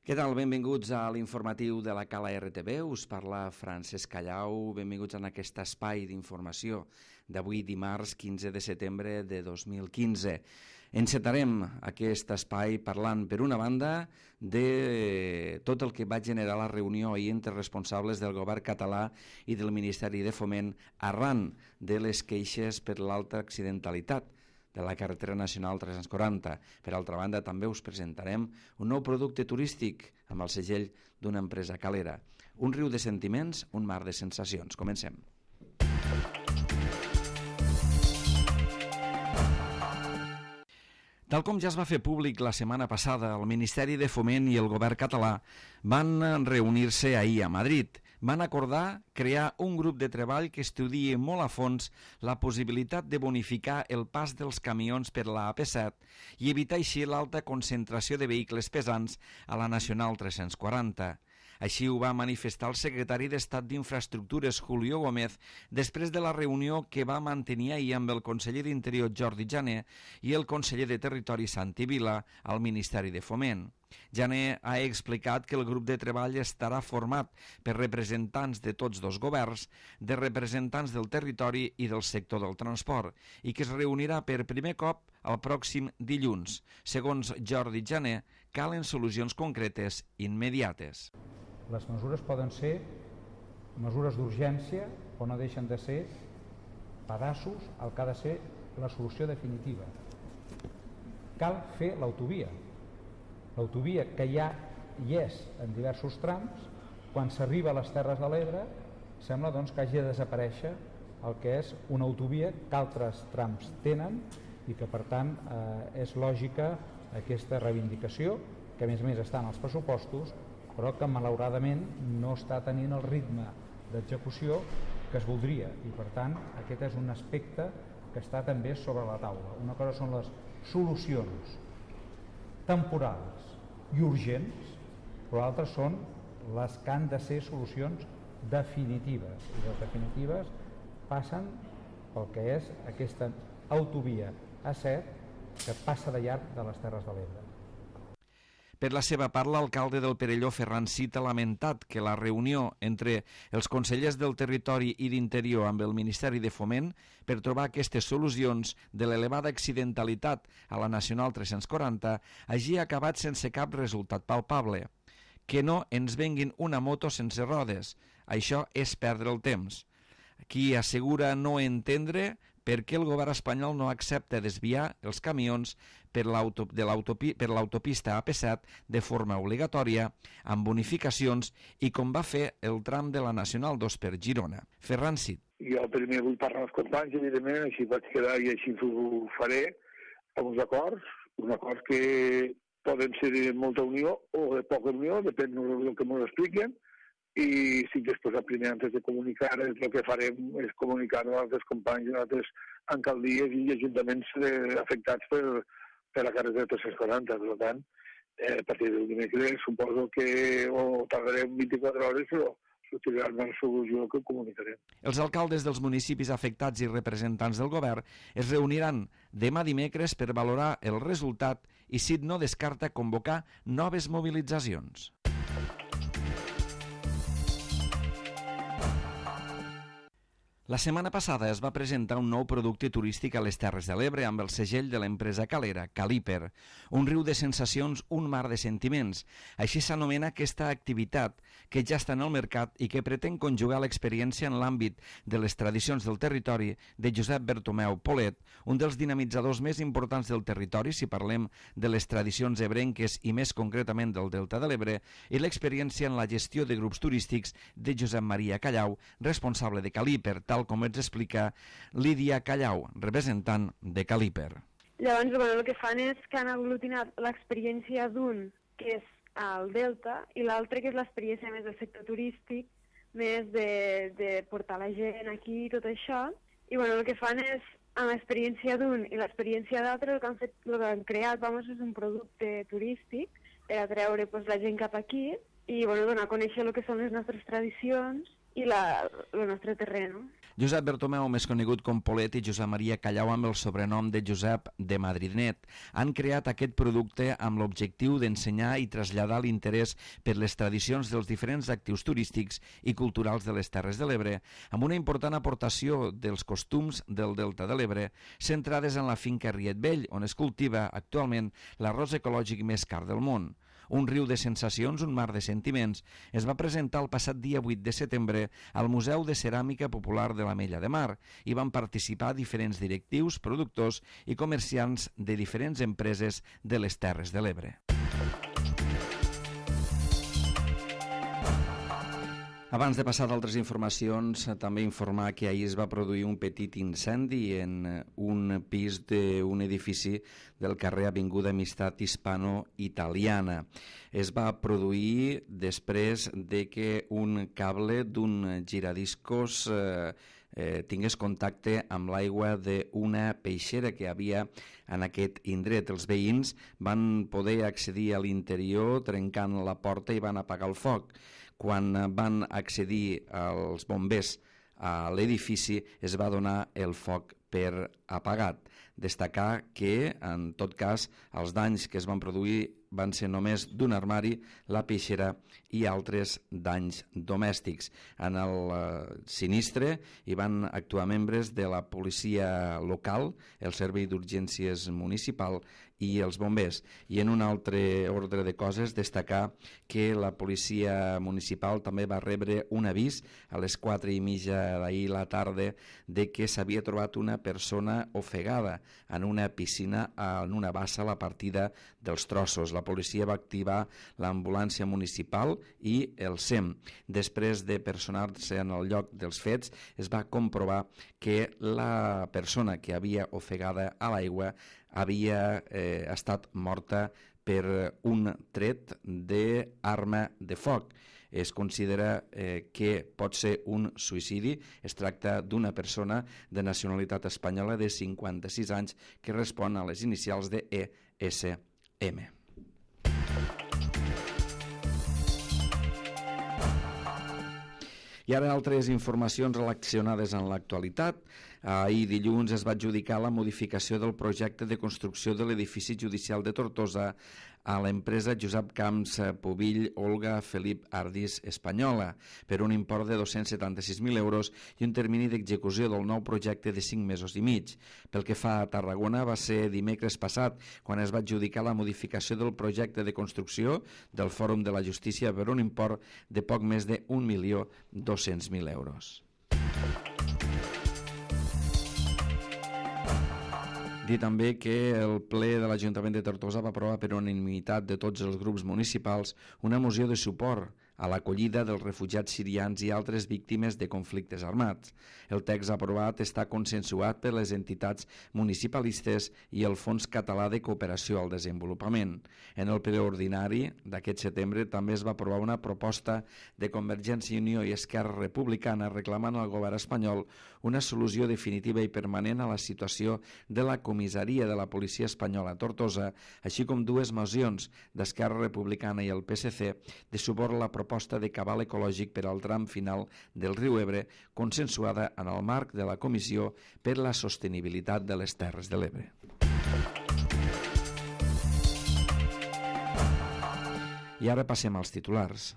Què tal? Benvinguts a l'informatiu de la Cala RTV. Us parla Francesc Callau. Benvinguts en aquest espai d'informació d'avui dimarts 15 de setembre de 2015. Encetarem aquest espai parlant, per una banda, de tot el que va generar la reunió ahir entre responsables del govern català i del Ministeri de Foment arran de les queixes per l'alta accidentalitat de la carretera nacional 340. Per altra banda, també us presentarem un nou producte turístic amb el segell d'una empresa calera. Un riu de sentiments, un mar de sensacions. Comencem. Tal com ja es va fer públic la setmana passada, el Ministeri de Foment i el govern català van reunir-se ahir a Madrid. Van acordar crear un grup de treball que estudie molt a fons la possibilitat de bonificar el pas dels camions per la AP7 i evitar així l'alta concentració de vehicles pesants a la Nacional 340. Així ho va manifestar el secretari d'Estat d'Infraestructures, Julio Gómez, després de la reunió que va mantenir ahir amb el conseller d'Interior, Jordi Jané, i el conseller de Territori, Santi Vila, al Ministeri de Foment. Jané ha explicat que el grup de treball estarà format per representants de tots dos governs, de representants del territori i del sector del transport, i que es reunirà per primer cop el pròxim dilluns. Segons Jordi Jané, calen solucions concretes immediates. Les mesures poden ser mesures d'urgència o no deixen de ser pedaços al que ha de ser la solució definitiva. Cal fer l'autovia. L'autovia que ja hi és en diversos trams, quan s'arriba a les Terres de l'Ebre, sembla doncs, que hagi de desaparèixer el que és una autovia que altres trams tenen i que per tant és lògica aquesta reivindicació, que a més està en els pressupostos, però que malauradament no està tenint el ritme d'execució que es voldria, i per tant aquest és un aspecte que està també sobre la taula. Una cosa són les solucions temporals i urgents, però l'altra són les que han de ser solucions definitives, i les definitives passen pel que és aquesta autovia A7 que passa de llarg de les Terres de l'Ebre. Per la seva part, l'alcalde del Perelló, Ferran Cid, ha lamentat que la reunió entre els consellers del Territori i d'Interior amb el Ministeri de Foment per trobar aquestes solucions de l'elevada accidentalitat a la Nacional 340 hagi acabat sense cap resultat palpable. Que no ens venguin una moto sense rodes. Això és perdre el temps. Qui assegura no entendre per què el govern espanyol no accepta desviar els camions per l'autopista AP7 de forma obligatòria, amb bonificacions i com va fer el tram de la Nacional 2 per Girona. Ferran Cid. Jo primer vull parlar amb els companys, evidentment, així vaig quedar i així ho faré, amb uns acords que poden ser de molta unió o de poca unió, depèn del que m'ho expliquen, i sí que després, primer, antes de comunicar, el que farem és comunicar a altres companys, a altres alcaldies i ajuntaments afectats per la carretera 340. Per tant, a partir del dimecres suposo que tardarem 24 hores, però sortirà una solució que comunicarem. Els alcaldes dels municipis afectats i representants del govern es reuniran demà dimecres per valorar el resultat i Cid no descarta convocar noves mobilitzacions. La setmana passada es va presentar un nou producte turístic a les Terres de l'Ebre amb el segell de l'empresa calera, Caliper. Un riu de sensacions, un mar de sentiments. Així s'anomena aquesta activitat que ja està en el mercat i que pretén conjugar l'experiència en l'àmbit de les tradicions del territori de Josep Bertomeu Polet, un dels dinamitzadors més importants del territori si parlem de les tradicions ebrenques i més concretament del Delta de l'Ebre, i l'experiència en la gestió de grups turístics de Josep Maria Callau, responsable de Caliper, tal com ens explica Lídia Callau, representant de Caliper. Llavors, el que fan és que han aglutinat l'experiència d'un, que és el Delta, i l'altre, que és l'experiència més del sector turístic, més de portar la gent aquí i tot això. I el que fan és, amb l'experiència d'un i l'experiència d'altre, el que han creat és un producte turístic per atreure la gent cap aquí i donar a conèixer el que són les nostres tradicions i el nostre terreny. Josep Bertomeu, més conegut com Polet, i Josep Maria Callau, amb el sobrenom de Josep de Madridnet, han creat aquest producte amb l'objectiu d'ensenyar i traslladar l'interès per les tradicions dels diferents actius turístics i culturals de les Terres de l'Ebre, amb una important aportació dels costums del Delta de l'Ebre, centrades en la finca Riet Vell, on es cultiva actualment l'arròs ecològic més car del món. Un riu de sensacions, un mar de sentiments, es va presentar el passat dia 8 de setembre al Museu de Ceràmica Popular de l'Ametlla de Mar i van participar diferents directius, productors i comerciants de diferents empreses de les Terres de l'Ebre. Abans de passar d'altres informacions, també informar que ahir es va produir un petit incendi en un pis d'un edifici del carrer Avinguda Amistat Hispano-Italiana. Es va produir després de que un cable d'un giradiscos tingués contacte amb l'aigua d'una peixera que havia en aquest indret. Els veïns van poder accedir a l'interior trencant la porta i van apagar el foc. Quan van accedir els bombers a l'edifici es va donar el foc per apagat. Destacar que, en tot cas, els danys que es van produir van ser només d'un armari, la peixera i altres danys domèstics. En el sinistre hi van actuar membres de la policia local, el Servei d'Urgències Municipal i els bombers. I en un altre ordre de coses, destacar que la policia municipal també va rebre un avís a les 4:30 d'ahir la tarda de que s'havia trobat una persona ofegada en una piscina en una bassa a la partida dels Trossos. La policia va activar l'ambulància municipal i el SEM. Després de personar-se en el lloc dels fets, es va comprovar que la persona que havia ofegada a l'aigua havia estat morta per un tret d'arma de foc. Es considera que pot ser un suïcidi. Es tracta d'una persona de nacionalitat espanyola de 56 anys que respon a les inicials de ESM. I ara altres informacions relacionades amb l'actualitat. Ahir dilluns es va adjudicar la modificació del projecte de construcció de l'edifici judicial de Tortosa a l'empresa Josep Camps Pubill Olga Felip Ardis Espanyola per un import de 276.000 euros i un termini d'execució del nou projecte de 5 mesos i mig. Pel que fa a Tarragona, va ser dimecres passat quan es va adjudicar la modificació del projecte de construcció del Fòrum de la Justícia per un import de poc més de 1.200.000 euros. Dir també que el ple de l'Ajuntament de Tortosa va aprovar per unanimitat de tots els grups municipals una moció de suport a l'acollida dels refugiats sirians i altres víctimes de conflictes armats. El text aprovat està consensuat per les entitats municipalistes i el Fons Català de Cooperació al Desenvolupament. En el ple ordinari d'aquest setembre també es va aprovar una proposta de Convergència i Unió i Esquerra Republicana reclamant al govern espanyol una solució definitiva i permanent a la situació de la comissaria de la policia espanyola a Tortosa, així com dues mocions d'Esquerra Republicana i el PSC de suport a la proposta de cabal ecològic per al tram final del riu Ebre, consensuada en el marc de la Comissió per la Sostenibilitat de les Terres de l'Ebre. I ara passem als titulars.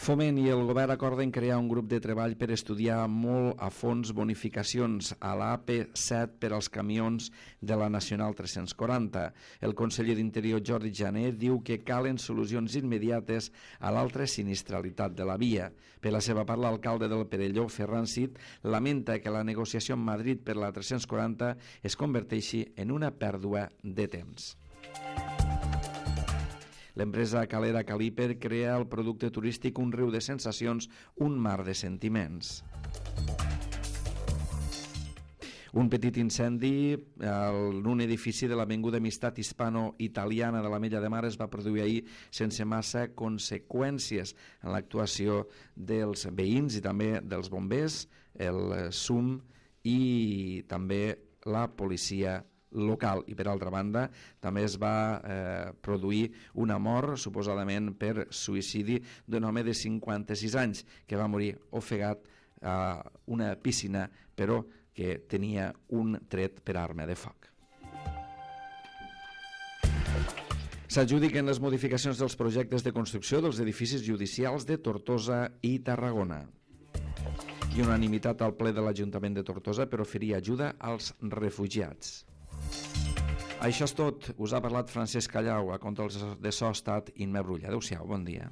Foment i el govern acorden crear un grup de treball per estudiar molt a fons bonificacions a l'AP7 per als camions de la Nacional 340. El conseller d'Interior, Jordi Jané, diu que calen solucions immediates a l'altra sinistralitat de la via. Per la seva part, l'alcalde del Perelló, Ferran Cid, lamenta que la negociació amb Madrid per la 340 es converteixi en una pèrdua de temps. L'empresa calera Caliper crea el producte turístic Un riu de sensacions, un mar de sentiments. Un petit incendi en un edifici de l'Avinguda Amistat Hispano-Italiana de l'Ametlla de Mar es va produir ahir sense massa conseqüències en l'actuació dels veïns i també dels bombers, el SUM i també la policia local. I per altra banda també es va produir una mort suposadament per suïcidi d'un home de 56 anys que va morir ofegat a una piscina, però que tenia un tret per arma de foc. S'adjudiquen les modificacions dels projectes de construcció dels edificis judicials de Tortosa i Tarragona. I unanimitat al ple de l'Ajuntament de Tortosa per oferir ajuda als refugiats. Això és tot. Us ha parlat Francesc Callau. A controls de so ha estat Imma Brulla. Adéu-siau, bon dia.